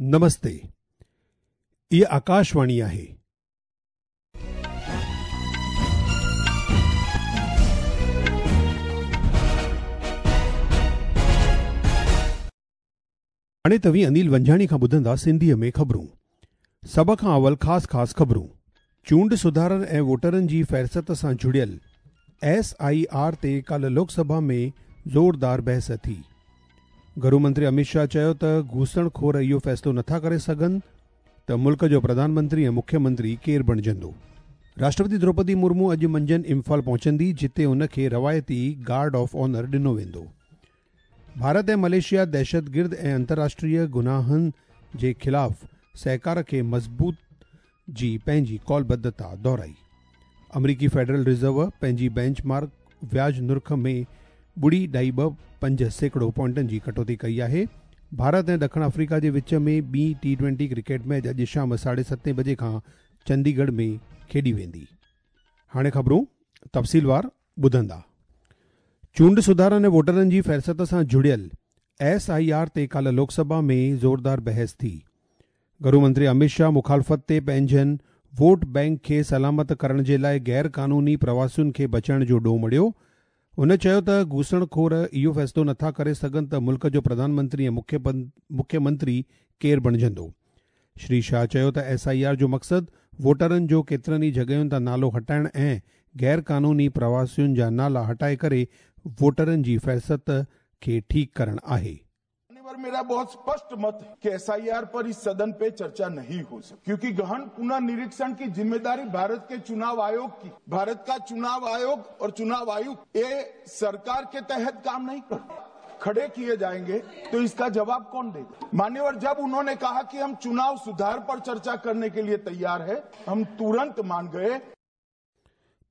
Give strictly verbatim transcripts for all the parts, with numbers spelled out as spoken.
नमस्ते, इहा आकाशवाणी आहे। हाणे तव्हीं अनिल वंजाणी खां ॿुधंदा सिंधीअ में ख़बरूं। सभ खां अवल ख़ासि ख़ासि ख़बरूं। चूंड सुधारनि ऐं वोटरनि जी फ़हरिस्त सां जुड़ियल एस I R ते काल्ह लोकसभा में ज़ोरदार बहस थी। घरू मंत्री अमित शाह चयो त घूसणखोर इहो फ़ैसिलो नथा करे सघनि त मुल्क जो प्रधानमंत्री ऐं मुख्यमंत्री केरु बणिजंदो। राष्ट्रपति द्रौपदी मुर्मू अॼु मंझंदि इम्फाल पहुचंदी, जिते उनखे रवायती गार्ड ऑफ ऑनर ॾिनो वेंदो। भारत ऐं मलेशिया दहशतगिर्द ऐं अंतर्राष्ट्रीय गुनाहनि जे ख़िलाफ़ सहकार खे मज़बूत जी पंहिंजी कौलबद्धता दोहराई। अमरीकी फेडरल रिज़र्व पंहिंजी बेंचमार्क व्याज नुर्ख में ॿुड़ी ढाई ॿ पंज सैकड़ो पॉइंटनि जी कटौती कई आहे। भारत ऐं ॾखिण अफ्रीका जे विच में ॿी टी ट्वेंटी क्रिकेट मैच अॼु शाम साढे सतें बजे खां चंडीगढ़ में खेॾी वेंदी। हाणे ख़बरूं तफ़सीलवार ॿुधंदा। चूंड सुधारनि ऐं वोटरनि जी फ़हरिस्त सां जुड़ियल एस I R ते काल्ह लोकसभा में ज़ोरदार बहस थी। घरू मंत्री अमित शाह मुखालफ़त ते पंहिंजनि वोट बैंक खे सलामत करण जे लाइ गैर कानूनी प्रवासियुनि खे बचाइण जो ॾोह मढ़ियो। हुन चयो त घूसणखोर इहो फ़ैसिलो नथा करे सघनि त मुल्क जो प्रधानमंत्री ऐं मुख्यमंत्री केरु बणिजंदो। श्री शाह चयो त एस I R जो मक़सदु वोटरनि जो केतिरनि ई जॻहियुनि तां नालो हटाइण ऐं गैर कानूनी प्रवासियुनि जा नाला हटाए करे वोटरनि जी फ़हरिस्त खे ठीकु करणु आहे। मेरा बहुत स्पष्ट मत है कि एस I R पर इस सदन पे चर्चा नहीं हो सकती, क्योंकि गहन पुनर्निरीक्षण की जिम्मेदारी भारत के चुनाव आयोग की। भारत का चुनाव आयोग और चुनाव आयुक्त ये सरकार के तहत काम नहीं करते, खड़े किए जाएंगे तो इसका जवाब कौन देगा। मान्यवर, जब उन्होंने कहा कि हम चुनाव सुधार पर चर्चा करने के लिए तैयार है, हम तुरंत मान गए।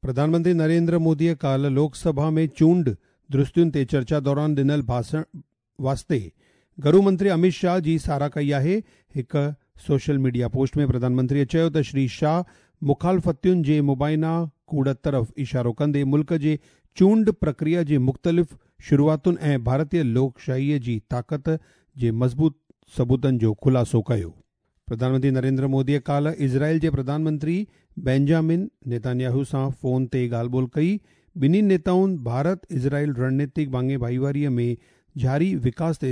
प्रधानमंत्री नरेंद्र मोदीअ काल्ह लोकसभा में चूंड दुरुस्तियुनि ते चर्चा दौरान ॾिनल भाषण वास्ते घरू मंत्री अमित शाह जी साराह कई आहे। हिकु सोशल मीडिया पोस्ट में प्रधानमंत्रीअ चयो त श्री शाह मुखालफ़तियुनि जे मुबाइना कूड़ तरफ़ इशारो कंदे मुल्क जे चूंड प्रक्रिया जे मुख़्तलिफ़ शुरूआतुनि ऐं भारतीय लोकशाहीअ जी ताक़त जे मज़बूत सबूतनि जो ख़ुलासो कयो। प्रधानमंत्री नरेंद्र मोदीअ काल्ह इज़राइल जे प्रधानमंत्री बेंजामिन नेतान्याहू सां फ़ोन ते ॻाल्हि ॿोल कई। ॿिन्ही नेताउनि भारत इज़राइल रणनीतिक भाङे भाईवारीअ में जारी विकास ते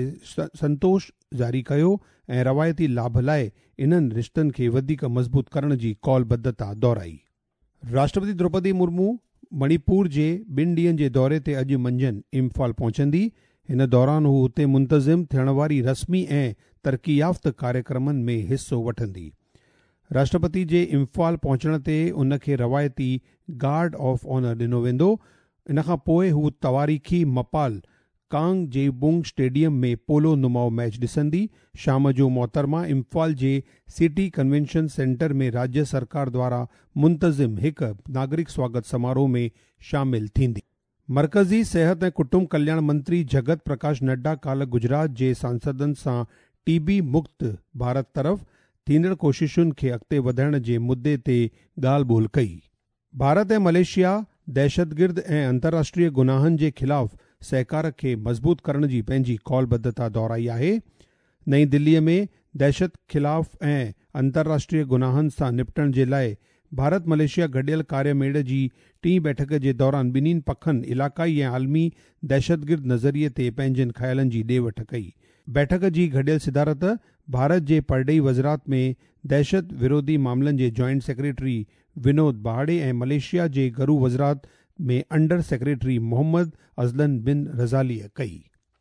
संतोष जारी कयो ऐं रवायती लाभ लाइ इन्हनि रिश्तनि खे वधीक मज़बूत करण जी कौलबद्धता दोहराई। राष्ट्रपति द्रौपदी मुर्मू मणिपुर जे ॿिनि ॾींहनि जे दौरे ते अॼु मंझंदि इम्फाल पहुचंदी। हिन दौरान हू हुते मुंतज़िम थियण वारी रस्मी ऐं तरक़ी याफ़्त कार्यक्रमनि में हिसो वठंदी। राष्ट्रपति जे इम्फाल पहुचण ते उनखे रवायती गार्ड ऑफ ऑनर ॾिनो वेंदो। इन खां पोइ हू तवारीख़ी मपाल कांगजेबुंग स्टेडियम में पोलो नुमाओ मैच ॾिसंदी। शाम जो मोहतरमा इम्फाल जे सिटी कन्वेंशन सेंटर में राज्य सरकार द्वारा मुंतज़िम हिकु नागरिक स्वागत समारोह में शामिल थींदी। मरकज़ी सिहत ऐं कुटुंब कल्याण मंत्री जगत प्रकाश नड्डा काल्ह गुजरात जे सांसदनि सां टीबी मुक्त भारत तरफ़ थींदड़ कोशिशुनि खे अॻिते वधाइण जे मुद्दे ते ॻाल्हि ॿोल कई। भारत ऐं मलेशिया दहशतगिर्द ऐं अंतर्राष्ट्रीय गुनाहनि जे ख़िलाफ़ सहकार खे मज़बूत करण जी पंहिंजी कौलबद्धता दोहराई आहे। नई दिल्लीअ में दहशत ख़िलाफ़ ऐं अंतर्राष्ट्रीय गुनाहनि सां निपटण जे लाइ भारत मलेशिया गॾियल कार्यमेड़ जी टीं बैठक जे दौरान ॿिन्हिनि पखनि इलाक़ाई ऐं आलमी दहशतगिर्द नज़रिए ते पंहिंजनि ख़्यालनि जी ॾे वठ कई। बैठक जी गॾियल सिदारत भारत जे परॾेही वज़ारत में दहशत विरोधी मामलनि जे जॉइंट सेक्रेटरी विनोद बहाड़े ऐं मलेशिया जे घरू वज़ारत में under secretary Mohammad Azlan bin रज़ालीअ कई।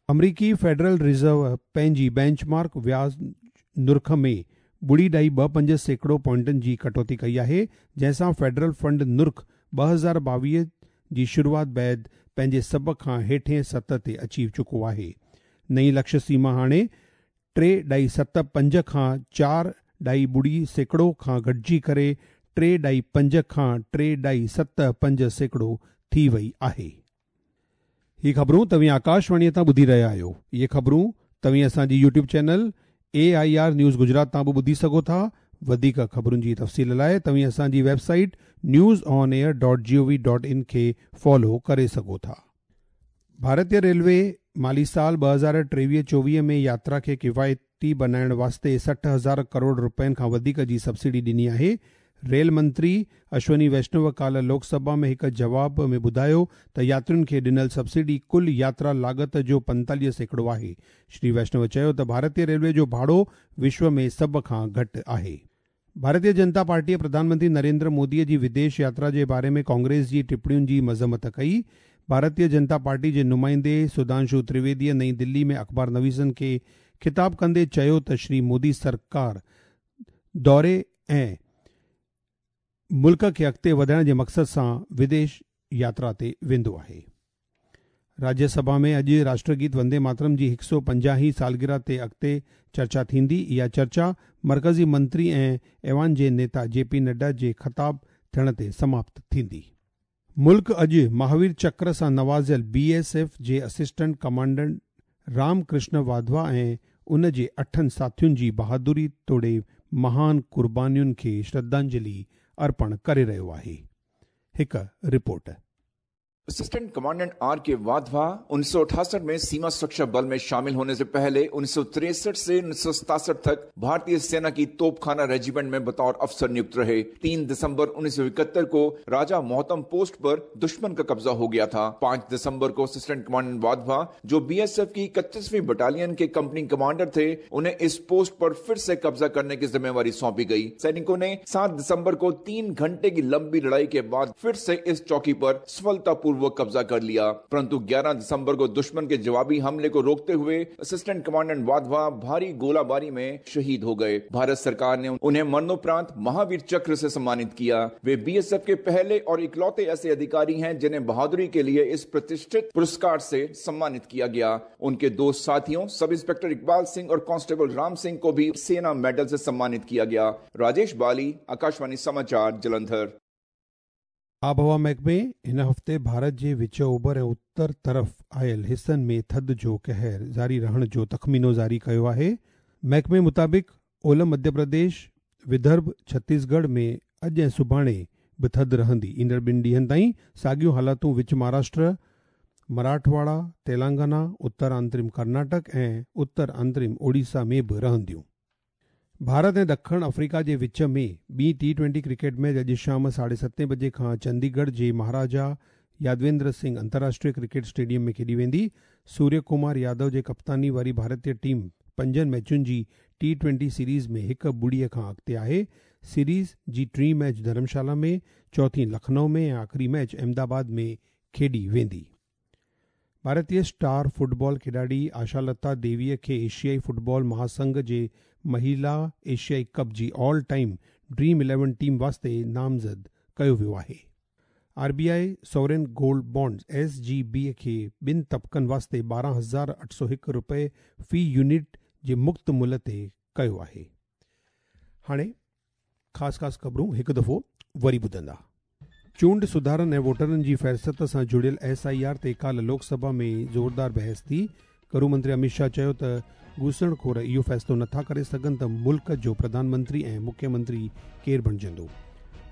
अमरीकी फेडरल रिज़र्व पंहिंजी बेंचमार्क व्याज नुर्ख में ॿुड़ी ढाई ॿ पंज सैकड़ो पॉइंटनि जी कटौती कई आहे, जंहिंसां फेडरल फंड नुर्ख ॿ हज़ार ॿावीह जी शुरूआत बाद पंहिंजे सभ खां हेठे सतह ते अची चुको आहे। नई लक्ष्य सीमा हाणे टे ढाई सत पंज खां चारि ढाई ॿुड़ी सैकड़ो खां घटिजी करे टे ढाई पंज खां टे ढाई सत पंज सैकड़ो थी वई आहे। ही ख़बरूं तव्हीं आकाशवाणीअ तां ॿुधी रहिया आहियो। इहे ख़बरूं तव्हीं असांजी YouTube channel A I R news Gujarat तां बि ॿुधी सघो था। वधीक ख़बरुनि जी तफ़सील लाइ तव्हीं असांजी website news on air dot G O V dot in खे फॉलो करे सघो था। भारतीय रेलवे माली साल ॿ हज़ार टेवीह चोवीह में यात्रा खे किफ़ायत टी बनाइण वास्ते सठि हज़ार करोड़ रुपयनि खां वधीक जी सब्सिडी ॾिनी आहे। रेल मंत्री अश्वनी वैष्णव काल्ह लोकसभा में हिकु जवाब में ॿुधायो त यात्रियुनि खे ॾिनल सब्सिडी कुल यात्रा लागत जो पंतालीह सैकड़ो आहे। श्री वैष्णव चयो त भारतीय रेलवे जो भाड़ो विश्व में सभ खां घटि आहे। भारतीय जनता पार्टीअ प्रधानमंत्री नरेंद्र मोदीअ जी विदेश यात्रा जे बारे में कांग्रेस जी टिप्पणियुनि जी मज़म्मत कई। भारतीय जनता पार्टी जे नुमाइंदे सुधांशु त्रिवेदीअ नई दिल्ली में अख़बार नवीसनि खे ख़िताब कंदे चयो त श्री मोदी सरकार दौरे ऐं मुल्क खे अॻिते वधाइण जे मक़सद सां विदेश यात्रा ते वेंदो आहे। राज्यसभा में अॼु राष्ट्रगीत वंदे मातरम जी हिकु सौ पंजाहीं सालगिरह ते अॻिते चर्चा थींदी। इहा चर्चा मर्कज़ी मंत्री ऐं ऐवान जे नेता जे पी नड्डा जे ख़िताब थियण ते समाप्त थींदी। मुल्क अॼु महावीर चक्र सां नवाज़ियल बी एस एफ जे असिस्टेंट कमांडेंट रामकृष्ण वाधवा ऐं उन जे अठनि साथियुनि जी बहादुरी तोड़े महान कुर्बानियुनि खे श्रद्धांजलि अर्पण करे रहियो आहे। हिकु report. Assistant commandant R K Wadhwa उन्नीस सौ अठासठ में सीमा सुरक्षा बल में शामिल होने से पहले उन्नीस सौ तिरसठ से उन्नीस सौ सतासठ तक भारतीय सेना की तोपखाना रेजिमेंट में बतौर अफसर नियुक्त रहे। तीन दिसंबर उन्नीस सौ इकहत्तर को राजा मोहतम पोस्ट पर दुश्मन का कब्जा हो गया था। पांच दिसंबर को असिस्टेंट कमांडेंट वाधवा, जो बीएसएफ की इकतीसवीं बटालियन के कंपनी कमांडर थे, उन्हें इस पोस्ट पर फिर से कब्जा करने की जिम्मेवारी सौंपी गई। सैनिकों ने सात दिसंबर को तीन घंटे की लंबी लड़ाई के बाद फिर से इस चौकी पर सफलतापूर्वक वो कब्जा कर लिया, परंतु ग्यारह दिसंबर को दुश्मन के जवाबी हमले को रोकते हुए असिस्टेंट कमांडेंट वाधवा भारी गोलाबारी में शहीद हो गए। भारत सरकार ने उन्हें मरणोपरांत महावीर चक्र से सम्मानित किया। वे बीएसएफ के पहले और इकलौते ऐसे अधिकारी हैं जिन्हें बहादुरी के लिए इस प्रतिष्ठित पुरस्कार से सम्मानित किया गया। उनके दो साथियों सब इंस्पेक्टर इकबाल सिंह और कांस्टेबल राम सिंह को भी सेना मेडल से सम्मानित किया गया। राजेश बाली, आकाशवाणी समाचार, जलंधर। आबहवा महकमे हिन हफ़्ते भारत जे विच ओभर ऐं उत्तर तरफ़ आयल हिसनि में थधि जो कहर जारी रहण जो तख़मीनो जारी कयो आहे। महकमे मुताबिक़ ओलह मध्य प्रदेश, विदर्भ, छत्तीसगढ़ में अॼु ऐं सुभाणे बि थधि रहंदी। ईंदड़ ॿिनि ॾींहनि ताईं साॻियूं हालातूं विच महाराष्ट्र, मराठवाड़ा, तेलंगाना, उत्तर आंतरिम कर्नाटक ऐं उत्तर आंतरिम ओडिशा में बि रहंदियूं। भारत ऐं दक्षिण अफ्रीका जे विच में ॿी टी ट्वेंटी क्रिकेट मैच अॼु शाम साढे सतें बजे खां चंडीगढ़ जे महाराजा यादवेंद्र सिंह अंतर्राष्ट्रीय क्रिकेट स्टेडियम में खेॾी वेंदी। सूर्य कुमार यादव जे कप्तानी वारी भारतीय टीम पंजनि मैचुनि जी टी ट्वेंटी सीरीज़ में हिकु ॿुड़ीअ खां अॻिते आहे। सीरीज़ जी टीं मैच धर्मशाला में, चौथी लखनऊ में ऐं आख़िरी मैच अहमदाबाद में खेॾी वेंदी। भारतीय स्टार फुटबॉल खिलाड़ी आशालता देवीअ खे एशियाई फुटबॉल महासंघ जे महिला एशियाई कप जी all time dream eleven team वास्ते नामज़द कयो वियो आहे। R B I sovereign gold bonds S G B खे ॿिनि तबक़नि वास्ते ॿारहं हज़ार अठ सौ हिकु रुपए फ़ी यूनिट जे मुक्त मुल्ह ते कयो आहे। हाणे ख़ासि ख़ासि ख़बरूं हिकु दफ़ो वरी ॿुधंदा। चूंड सुधारनि ऐं वोटरनि जी फ़हरिस्त सां जुड़ियल एस I R ते काल्ह लोकसभा में ज़ोरदार बहस थी। गृह मंत्री अमित शाह चयो त घूसणखोर इहो फ़ैसिलो नथा करे सघनि त मुल्क जो प्रधानमंत्री ऐं मुख्यमंत्री केरु बणिजंदो।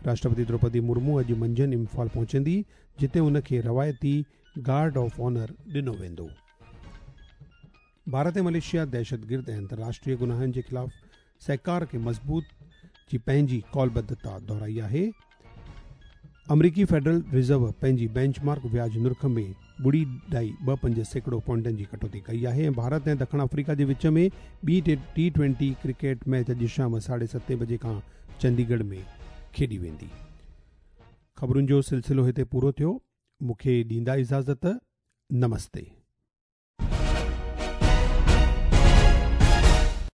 राष्ट्रपति द्रौपदी मुर्मू अॼु मंझंदि इम्फाल पहुचंदी, जिते उनखे रवायती गार्ड ऑफ ऑनर ॾिनो वेंदो। भारत ऐं मलेशिया दहशतगिर्द ऐं अंतर्राष्ट्रीय गुनाहनि जे ख़िलाफ़ सहकार खे मज़बूत जी पंहिंजी कौलबद्धता दोहराई आहे। अमरीकी फेडरल रिज़र्व पंहिंजी बेंचमार्क व्याज निरख में ॿुड़ी ढाई ॿ पंज सैकड़ो पॉइंटनि जी कटौती कई आहे। ऐं भारत ऐं दक्षिण अफ्रीका जे विच में ॿी टी ट्वेंटी क्रिकेट मैच अॼु शाम साढे सतें बजे खां चंडीगढ़ में खेॾी वेंदी। ख़बरुनि जो सिलसिलो हिते पूरो थियो। मूंखे ॾींदा इजाज़त। नमस्ते।